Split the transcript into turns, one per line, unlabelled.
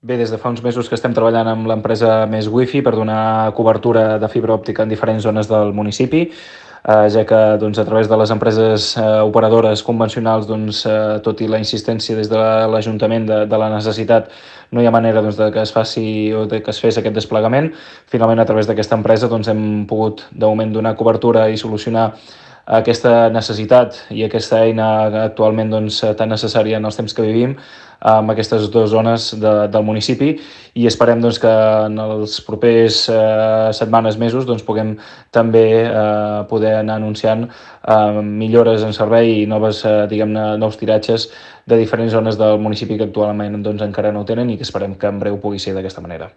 Bé, des de fa uns mesos que estem treballant amb l'empresa Més Wifi per donar cobertura de fibra òptica en diferents zones del municipi, ja que doncs, a través de les empreses operadores convencionals, doncs, tot i la insistència des de l'Ajuntament de la necessitat, no hi ha manera doncs, de que es faci o de que es fes aquest desplegament. Finalment, a través d'aquesta empresa doncs, hem pogut, de moment, donar cobertura i solucionar aquesta necessitat i aquesta eina actualment doncs, tan necessària en els temps que vivim amb aquestes dues zones del municipi i esperem doncs, que en els propers setmanes, mesos, doncs, puguem també poder anar anunciant millores en servei i noves, diguem-ne, nous tiratges de diferents zones del municipi que actualment doncs, encara no ho tenen i que esperem que en breu pugui ser d'aquesta manera.